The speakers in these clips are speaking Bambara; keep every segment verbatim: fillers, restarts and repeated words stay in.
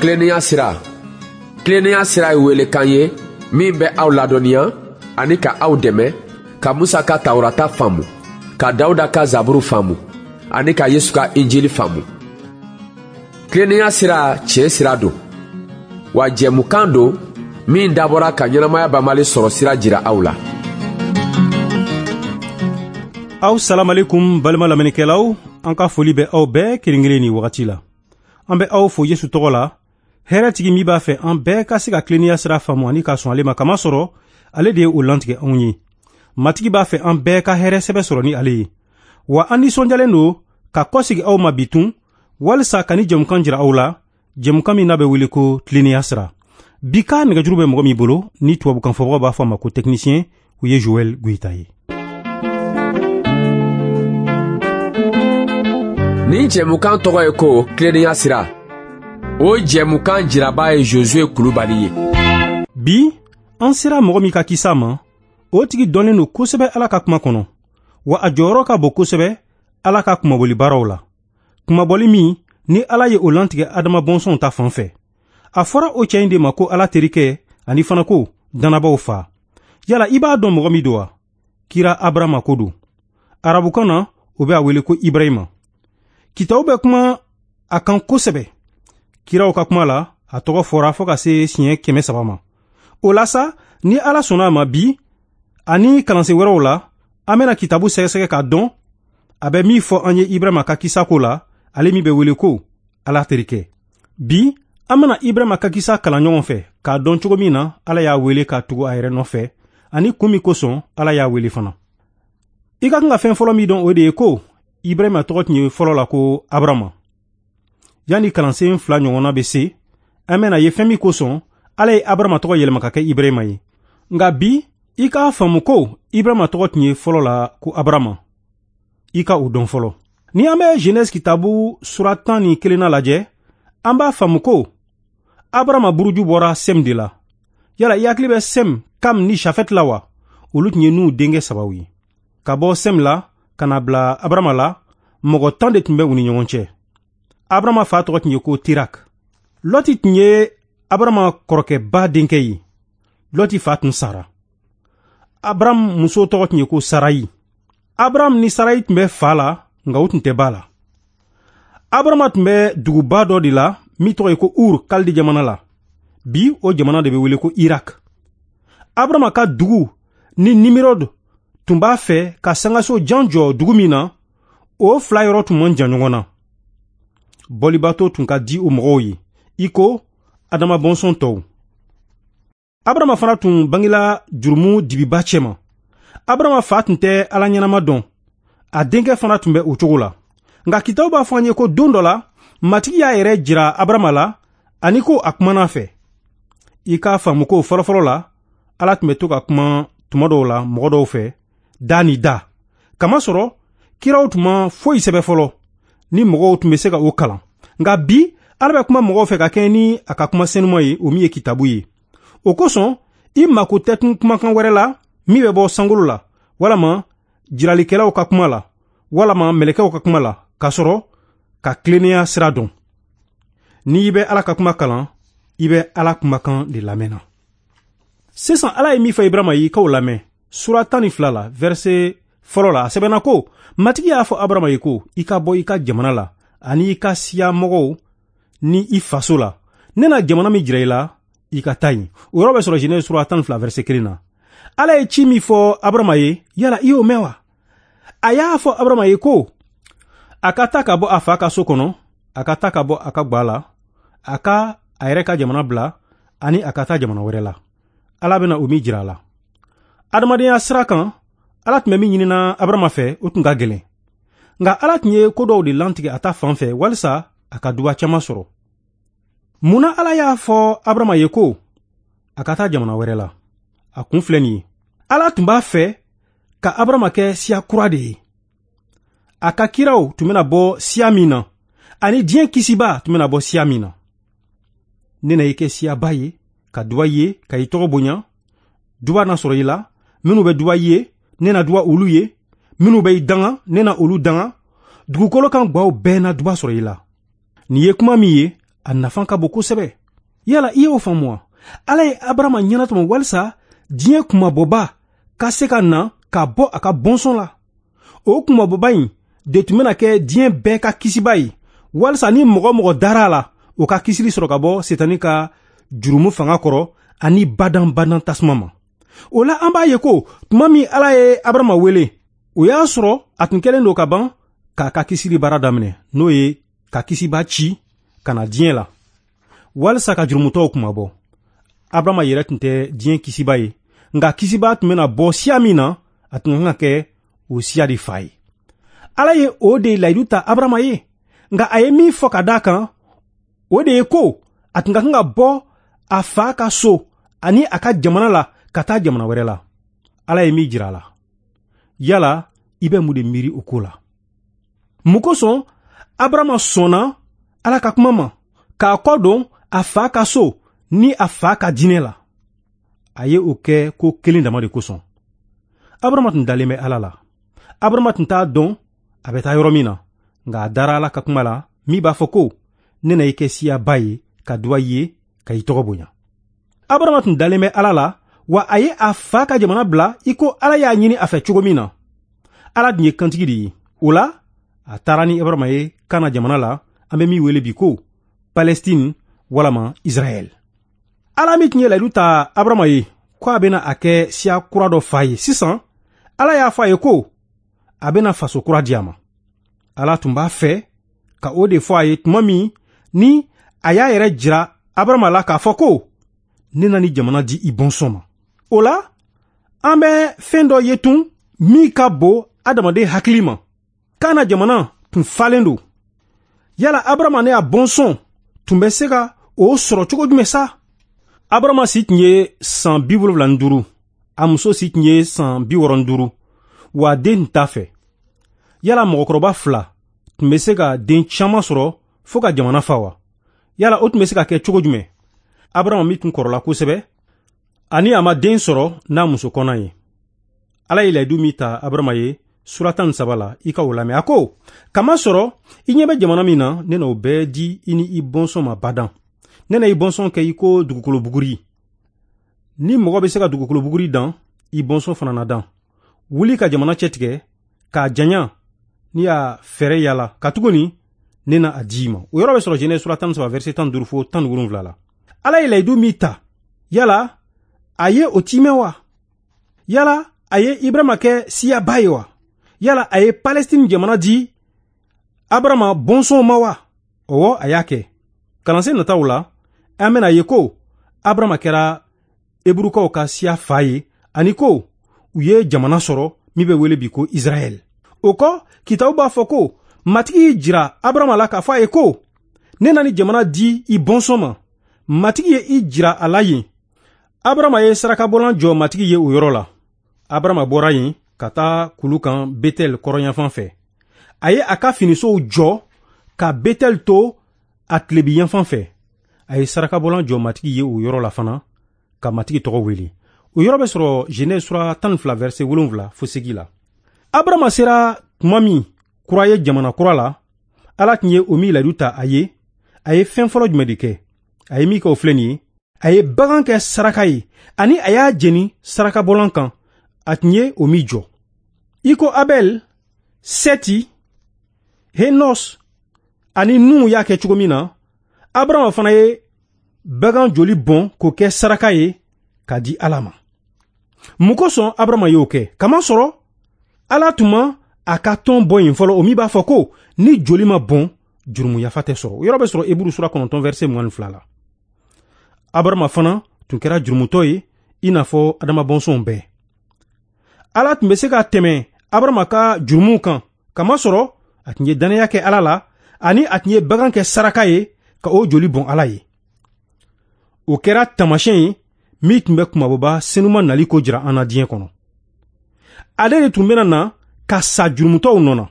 Tilennenya sira. Tilennenya sira ye welekan ye min bɛ aw ladɔnniya ani ka aw dɛmɛ ka Musa ka Tawurata faamu, ka Dawuda ka Zaburu faamu ani ka Yesu ka Injili faamu. Tilennenya sira tiɲɛ sira don, wa jɛmukan don min dabɔra ka ɲɛnamaya banbali sɔrɔ sira jira aw la. Aw salamalekum balima lamɛnnikɛlaw, an ka foli bɛ aw bɛɛ kelen kelen nin wagati la. An bɛ aw fo Yesu tɔgɔ la, hɛrɛtigi min b'a fɛ an bɛɛ ka se ka tilennenya sira faamu ani ka sɔn ale ma, kamasɔrɔ ale de ye o lantigɛ anw ye. Matigi b'a fɛ an bɛɛ ka hɛrɛ sɛbɛ sɔrɔ ni ale ye. Wa an nisɔndiyalen don ka kɔsegi aw ma bi tun, walisa ka ni jɛmukan jira aw la, jɛmukan min n'a bɛ wele ko tilennenya sira. Bi ka nɛgɛjuru bɛ mɔgɔ min bolo, ni tubabukan fɔbagaw b'a fɔ a ma ko technicien, o ye Joël Goïta ye. Nin jɛmukan tɔgɔ ye ko tilennenya sira. O jɛmukan jiraba ye Josué Kulubali ye. Bi, an sera mɔgɔ min ka kisa ma, o tigi dɔnnen don kosɛbɛ Ala ka kuma kɔnɔ, wa a jɔyɔrɔ ka bon kosɛbɛ Ala ka kunmabɔli baaraw la. Kunmabɔli min ni Ala ye o lantigɛ Adama bɔnsɔnw ta fan fɛ. A fɔra o cɛ in de ma ko Ala terikɛ ani fana ko dannabaw fa. Yala i b'a dɔn mɔgɔ min don wa? Kira Abarama ko don. Arabukan na, o bɛ a wele ko Ibrahima. Kitabu bɛ kuma a kan kosɛbɛ. Kiraw ka kuma la, a tɔgɔ fɔra fo ka se siɲɛ kɛmɛ saba ma. O la sa, ni Ala sɔnna a ma bi, ani kalansen wɛrɛw la, an bɛna kitabu sɛgɛsɛgɛ k'a dɔn a bɛ min fɔ an ye Ibrahima ka kisa ko la, ale min bɛ wele ko Ala terikɛ. Bi, an bɛna Ibrahima ka kisa kalan ɲɔgɔn fɛ k'a dɔn cogo min na Ala y'a wele ka tugu a yɛrɛ nɔfɛ, ani kun min kosɔn Ala y'a wele fana. I ka kan ka fɛn fɔlɔ min dɔn, o de ye ko Ibrahima tɔgɔ tun ye fɔlɔ la ko Abarama. Yanni kalansen fila ɲɔgɔnna bɛ se, an bɛna ye fɛn min kosɔn Ala ye Abarama tɔgɔ yɛlɛma ka kɛ Ibrahima ye. Nka bi, i k'a faamu ko Ibrahima tɔgɔ tun ye fɔlɔ la ko Abarama. I ka o dɔn fɔlɔ. Ni an bɛ Genèse kitabu sura tan ni kelenna lajɛ, an b'a faamu ko Abarama buruju bɔra Sem de la. Yala i hakili bɛ Sem, Kam ni Jafɛt la wa? Olu tun ye Nuhu denkɛ sabaw ye. Ka bɔ Sem la ka na bila Abarama la, mɔgɔ tan de tun bɛ u ni ɲɔgɔn cɛ. Abarama fa tɔgɔ tun ye ko Tirak. Lɔti tun ye Abarama kɔrɔkɛba denkɛ ye. Lɔti fa tun sara. Abaram muso tɔgɔ tun ye ko Sarayi. Abaram ni Sarayi tun bɛ fa la, nka u tun tɛ ba la. Abarama tun bɛ duguba dɔ de la min tɔgɔ ye ko Ur, Kaldi jamana la. Bi, o jamana de bɛ wele ko Irak. Abarama ka dugu ni Nimirod tun b'a fɛ ka sangaso jan jɔ dugu min na, o fila yɔrɔ tun man jan ɲɔgɔn na. Bɔlibato tun ka di o mɔgɔw ye, i ko Adama bɔnsɔn tɔw. Abarama fana tun bangela jurumu dibiba cɛma. Abarama fa tun tɛ Ala ɲɛnama dɔn, a denkɛ fana tun bɛ o cogo la. Nka kitabu b'a fɔ an ye ko don dɔ la, Matigi y'a yɛrɛ jira Abarama la ani ko a kumana fɛ. I k'a faamu ko fɔlɔfɔlɔ la, Ala tun bɛ to ka kuma tuma dɔw la mɔgɔ dɔw fɛ, da ni da. Kamasɔrɔ, kiraw tun ma foyi sɛbɛ fɔlɔ, ni mɔgɔw tun bɛ se ka o kalan. Nka bi, Ala bɛ kuma mɔgɔw fɛ ka kɛɲɛ ni a ka kuma senuma ye, o min ye kitabu ye. O kosɔn, i mako tɛ tun kumakan wɛrɛ la min bɛ bɔ sankolo la, walama jiralikɛlaw ka kuma la, walama mɛlɛkɛw ka kuma la, k'a sɔrɔ ka tilennenya sira dɔn. N'i bɛ Ala ka kuma kalan, i bɛ Ala kumakan de lamɛnna. Sisan Ala ye min fɔ Ibrahima ye, i k'o lamɛn. Sura tan ni fila la, verset fɔlɔ la, a sɛbɛnna ko, Matigi y'a fɔ Abarama ye ko, i ka bɔ i ka jamana la, ani i ka siya mɔgɔw ni i faso la. Ne na jamana min jira i la, i ka taa yen. O yɔrɔ bɛ sɔrɔ Genèse sura tan ni fila verset kelen na. Ala ye ci min fɔ Abarama ye, yala i y'o mɛn wa? A y'a fɔ Abarama ye ko, a ka taa ka bɔ a fa ka so kɔnɔ, a ka taa ka bɔ a ka gwa la, a ka a yɛrɛ ka jamana bila, ani a ka taa jamana wɛrɛ la. Ala bɛna o min jira a la. Adamadenya sira kan, Ala tun bɛ min ɲinina Abarama fɛ, o tun ka gɛlɛn. Nka Ala tun ye ko dɔw de lantigɛ a ta fan fɛ walisa a ka duba caman sɔrɔ. Munna Ala y'a fɔ Abarama ye ko a ka taa jamana wɛrɛ la? A kun filɛ nin ye. Ala tun b'a fɛ ka Abarama kɛ siya kura de ye. A ka kiraw tun bɛna bɔ siya min na, ani diɲɛ kisiba tun bɛna bɔ siya min na. Ne na i kɛ siyaba ye, ka duba ye, ka i tɔgɔ bonya. Duba na sɔrɔ i la, minnu bɛ duba ye, ne na duba olu ye, minnu bɛ i danga, ne na olu danga. Dugukolo kan gwaw bɛɛ na duba sɔrɔ i la. Nin ye kuma min ye, A nafa ka bon kosɛbɛ. Yala i y'o faamu wa? Ala ye Abarama ɲɛnatɔmɔ walisa diɲɛ kunmabɔba ka se ka na ka bɔ a ka bɔnsɔn la. O kunmabɔba in de tun bɛna kɛ diɲɛ bɛɛ ka kisiba ye, walisa ni mɔgɔ mɔgɔ dara a la, o ka kisili sɔrɔ ka bɔ Setani ka jurumu fanga kɔrɔ ani badan-badan tasuma ma. O la an b'a ye ko tuma min Ala ye Abarama wele, o y'a sɔrɔ a tun kɛlen don ka ban k'a ka kisili baara daminɛ, n'o ye ka kisiba ci ka na diɲɛ la walisa ka jurumutɔw kunmabɔ. Abarama yɛrɛ tun tɛ diɲɛ kisiba ye, nka kisiba tun bɛna bɔ siya min na, a tun kan ka kɛ o siya de fa ye. Ala ye o de layidu ta Abarama ye, nka a ye min fɔ ka d'a kan, o de ye ko a tun ka kan ka bɔ a fa ka so ani a ka jamana la ka taa jamana wɛrɛ la. Ala ye min jira a la. Yala i bɛ mun de miiri o ko la? Mun kosɔn Abarama sɔnna Ala ka kuma ma k'a kɔ don a fa ka so ni a fa ka diinɛ la? A ye o kɛ ko kelen dama de kosɔn. Abarama tun dalen bɛ Ala la. Abarama tun t'a dɔn a bɛ taa yɔrɔ min na, nka a dara Ala ka kuma la min b'a fɔ ko ne na i kɛ siyaba ye ka duwa i ye ka i tɔgɔ bonya. Abarama tun dalen bɛ Ala la, wa a ye a fa ka jamana bila i ko Ala y'a ɲini a fɛ cogo min na. Ala dun ye kantigi de ye. O la a taara ni Abarama ye Kana jamana la, an bɛ min wele bi ko Palestine walama Israɛl. Ala min tun ye layidu ta Abarama ye ko a bɛna a kɛ siya kura dɔ fa ye, sisan Ala y'a fɔ a ye ko a bɛna faso kura di a ma. Ala tun b'a fɛ ka o de fɔ a ye tuma min ni a y'a yɛrɛ jira Abarama la k'a fɔ ko ne na ni jamana di i bɔnsɔn ma. O la an bɛ fɛn dɔ ye tun min ka bon adamaden hakili ma. Kana jamana tun falen don. Yala Abarama ne a bɔnsɔn tun bɛ se ka o sɔrɔ cogo jumɛn sa? Abarama si tun ye san bi wolonwula ni duuru, a muso si tun ye san bi wɔɔrɔ ni duuru, wa den tun t'a fɛ. Yala mɔgɔkɔrɔba fila tun bɛ se ka den caman sɔrɔ fo ka jamana fa wa? Yala o tun bɛ se ka kɛ cogo jumɛn? Abarama min tun kɔrɔla kosɛbɛ, ani a ma den sɔrɔ n'a muso kɔnɔ ye. Ala ye layidu min ta Abarama ye sura tan ni saba la, i ka o lamɛn. A ko, kamasɔrɔ i ɲɛ bɛ jamana min na, ne na o bɛɛ di i ni i bɔnsɔn ma badan. Ne na i bɔnsɔn kɛ i ko dugukolo buguri. Ni mɔgɔ bɛ se ka dugukolo buguri dan, i bɔnsɔn fana na dan. Wuli ka jamana cɛtigɛ k'a janya ni y'a fɛɛrɛ yala, katuguni ne na a di i ma. O yɔrɔ bɛ sɔrɔ Genèse sura tan ni saba verset tan ni duuru fo tan ni wolonwula la. Ala ye layidu min ta, yala a ye o timɛ wa? Yala a ye Ibrahima kɛ siyaba ye wa? Yala a ye Palestine jamana di Abarama bɔnsɔnw ma wa? Ɔwɔ, a y'a kɛ. Kalansen nataw la, an bɛna ye ko Abarama kɛra Eburukaw ka siya fa ye, ani ko u ye jamana sɔrɔ min bɛ wele bi ko Israɛl. O kɔ, kitabu b'a fɔ ko Matigi y'i jira Abarama la k'a fɔ a ye ko ne na ni jamana di i bɔnsɔn ma. Matigi ye i jira a la yen. Abarama ye sarakabɔlan jɔ Matigi ye o yɔrɔ la. Abarama bɔra yen ka taa kulu kan Betel kɔrɔnyanfan fɛ. A ye a ka finisow jɔ ka Betel to a tilebinyanfan fɛ. A ye sarakabɔlan jɔ Matigi ye o yɔrɔ la fana ka Matigi tɔgɔ wele. O yɔrɔ bɛ sɔrɔ Genèse sura tan ni fila verset wolonwula fo seegin la. Abarama sera tuma min kura ye jamana kura la, Ala tun ye o min layidu ta a ye, a ye fɛn fɔlɔ jumɛn de kɛ? A ye min kɛ o filɛ nin ye. A ye bagan kɛ saraka ye, ani a y'a jeni sarakabɔlan kan, a tun ye o min jɔ. I ko Abel, Sɛti, Henos ani Nuhu y'a kɛ cogo min na, Abarama fana ye bagan joli bɔn k'o kɛ saraka ye k'a di Ala ma. Mun kosɔn Abarama y'o kɛ? Kamasɔrɔ Ala tun ma a ka tɔn bɔ yen fɔlɔ, o min b'a fɔ ko ni joli ma bɔn, jurumu yafa tɛ sɔrɔ. O yɔrɔ bɛ sɔrɔ Eburu sura kɔnɔntɔn verset mugan ni fila la. Abarama fana tun kɛra jurumutɔ ye i n'a fɔ Adama bɔnsɔnw bɛɛ. Ala tun bɛ se ka tɛmɛ Abarama ka jurumuw kan, kamasɔrɔ a tun ye dannaya kɛ Ala la, ani a tun ye bagan kɛ saraka ye ka o joli bɔn Ala ye. O kɛra taamasiyɛn ye min tun bɛ kunmabɔba senuma nali ko jira an na diɲɛ kɔnɔ. Ale de tun bɛna na ka sa jurumutɔw nɔ na.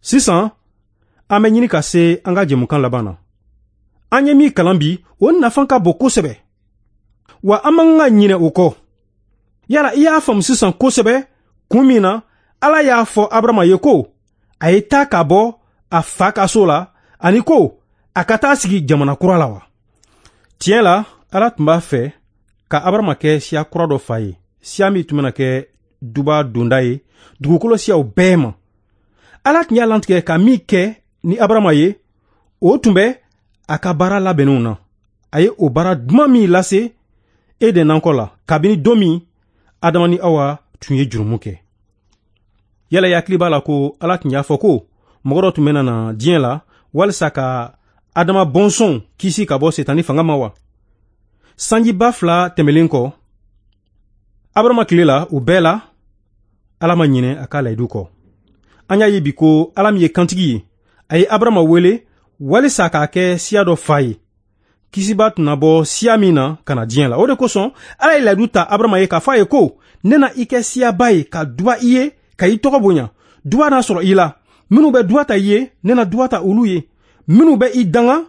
Sisan an bɛ ɲini ka se an ka jɛmukan laban na. An ye min kalan bi, o nafa ka bon kosɛbɛ, wa an man kan ka ɲinɛ o kɔ. Yala i y'a faamu sisan kosɛbɛ kun min na Ala y'a fɔ Abarama ye ko a ye taa ka bɔ a fa ka so la, ani ko a ka taa sigi jamana kura la wa? Tiɲɛ la, Ala tun b'a fɛ ka Abarama kɛ siya kura dɔ fa ye, siya min tun bɛna kɛ duba donda ye dugukolo siyaw bɛɛ ma. Ala tun y'a lantigɛ ka min kɛ ni Abarama ye, o tun bɛ a ka baara labɛnnenw na. A ye o baara duman min lase Eden nakɔ la kabini don min Adama ni Awa tun ye jurumu kɛ. Yala i hakili b'a la ko Ala tun y'a fɔ ko mɔgɔ dɔ tun bɛna na diɲɛ la walisa ka Adama bɔnsɔnw kisi ka bɔ Setani fanga ma wa? Sanjiba fila tɛmɛlen kɔ, Abarama tile la, o bɛɛ la, Ala ma ɲinɛ a ka layidu kɔ. An y'a ye bi ko Ala min ye kantigi ye, a ye Abarama wele walisa k'a kɛ siya dɔ fa ye. Kisiba tun na bɔ siya min na ka na diɲɛ la. O de kosɔn Ala ye layidu ta Abarama ye k'a fɔ a ye ko ne na i kɛ siyaba ye ka duba i ye ka i tɔgɔ bonya. Duba na sɔrɔ i la. Minnu bɛ duba ta i ye, ne na duba ta olu ye. Minnu bɛ i danga,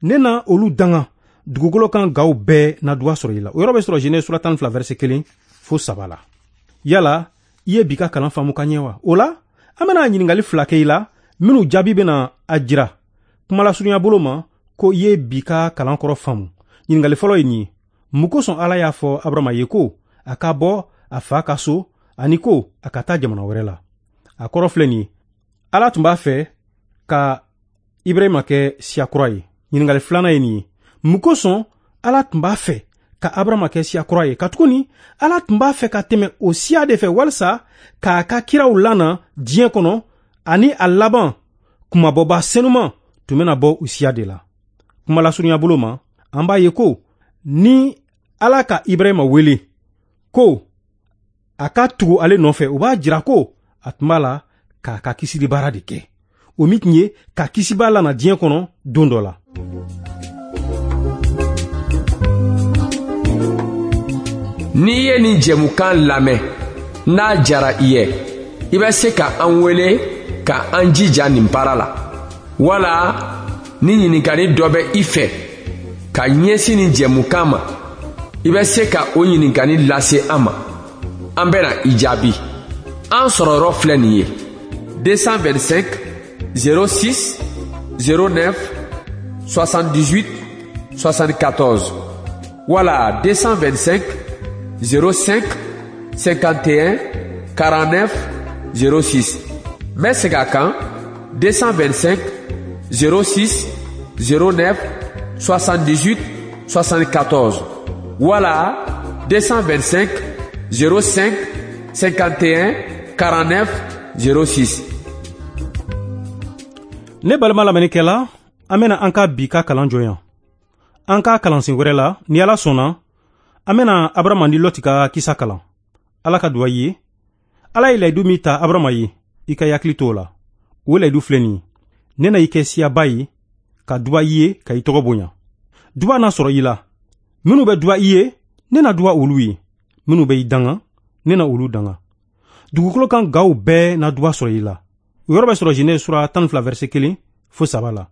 ne na olu danga. Dugukolo kan gaw bɛɛ na duba sɔrɔ i la. O yɔrɔ bɛ sɔrɔ Genèse sura tan ni fila verset kelen fo saba la. Yala i ye bi ka kalan faamu ka ɲɛ wa? O la, an bɛna ɲininkali fila kɛ i la minnu jaabi bɛna a jira kumalasurunya bolo ma ko i ye bi ka kalan kɔrɔ faamu. Ɲininkali fɔlɔ ye nin ye: mun kosɔn Ala y'a fɔ Abarama ye ko a ka bɔ a fa ka so ani ko a ka taa jamana wɛrɛ la? A kɔrɔ filɛ nin ye: Ala tun b'a fɛ ka Ibrahima kɛ siya kura ye. Ɲininkali filanan ye nin ye: mun kosɔn Ala tun b'a fɛ ka Abarama kɛ siya kura ye? Katuguni Ala tun b'a fɛ ka tɛmɛ o siya de fɛ walisa k'a ka kiraw lana diɲɛ kɔnɔ, ani a laban kumabɔba senuman tun bɛna bɔ o siya de la. Kumalasurunya bolo ma, an b'a ye ko ni Ala ka Ibrahima wele ko a ka tugu ale nɔfɛ, o b'a jira ko a tun b'a la k'a ka kisili baara de kɛ, o min tun ye ka kisiba lana diɲɛ kɔnɔ don dɔ la. N'i ye nin jɛmukan lamɛn, n'a jara i ye, i bɛ se ka an wele ka an jija nin baara la. Wala ni ɲininkali dɔ bɛ i fɛ ka ɲɛsin nin jɛmukan ma, i bɛ se ka o ɲininkali lase an ma. An bɛna i jaabi. An sɔrɔyɔrɔ filɛ nin ye: deux cent vingt-cinq zéro six zéro neuf soixante-dix-huit soixante-quatorze wala deux cent vingt-cinq zéro cinq cinquante et un quarante-neuf zéro six. N bɛ segin a kan: deux cent vingt-cinq zéro six zéro neuf soixante-dix-huit soixante-quatorze wala deux cent vingt-cinq zéro cinq cinquante et un quarante-neuf zéro six. Ne balima lamɛnnikɛla, an bɛna an ka bi ka kalan jɔ yan. An ka kalansen wɛrɛ la, ni Ala sɔnna, an bɛna Abarama ni Lɔti ka kisa kalan. Ala ka duwa ye. Ala ye layidu min ta Abarama ye, i ka hakili t'o la. O layidu filɛ nin ye: ne na i kɛ siyaba ye, ka duba i ye, ka i tɔgɔ bonya. Duba na sɔrɔ i la. Minnu bɛ duba i ye, ne na duba olu ye. Minnu bɛ i danga, ne na olu danga. Dugukolo kan gaw bɛɛ na duba sɔrɔ i la. O yɔrɔ bɛ sɔrɔ Genèse sura tan ni fila verset kelen fo saba la.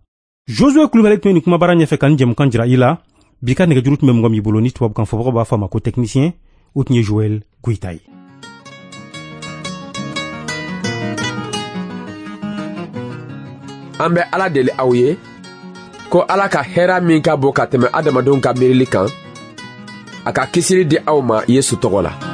Josué Kulubali tun ye nin kumabara ɲɛfɛ ka nin jɛmukan jira i la. Bi ka nɛgɛjuru tun bɛ mɔgɔ min bolo ni tubabukan fɔbagaw b'a fɔ a ma ko technicien, o tun ye Joël Goïta ye. An bɛ Ala deli aw ye ko Ala ka hɛrɛ min ka bon ka tɛmɛ adamadenw ka miirili kan, a ka kisili di aw ma Yesu tɔgɔ la.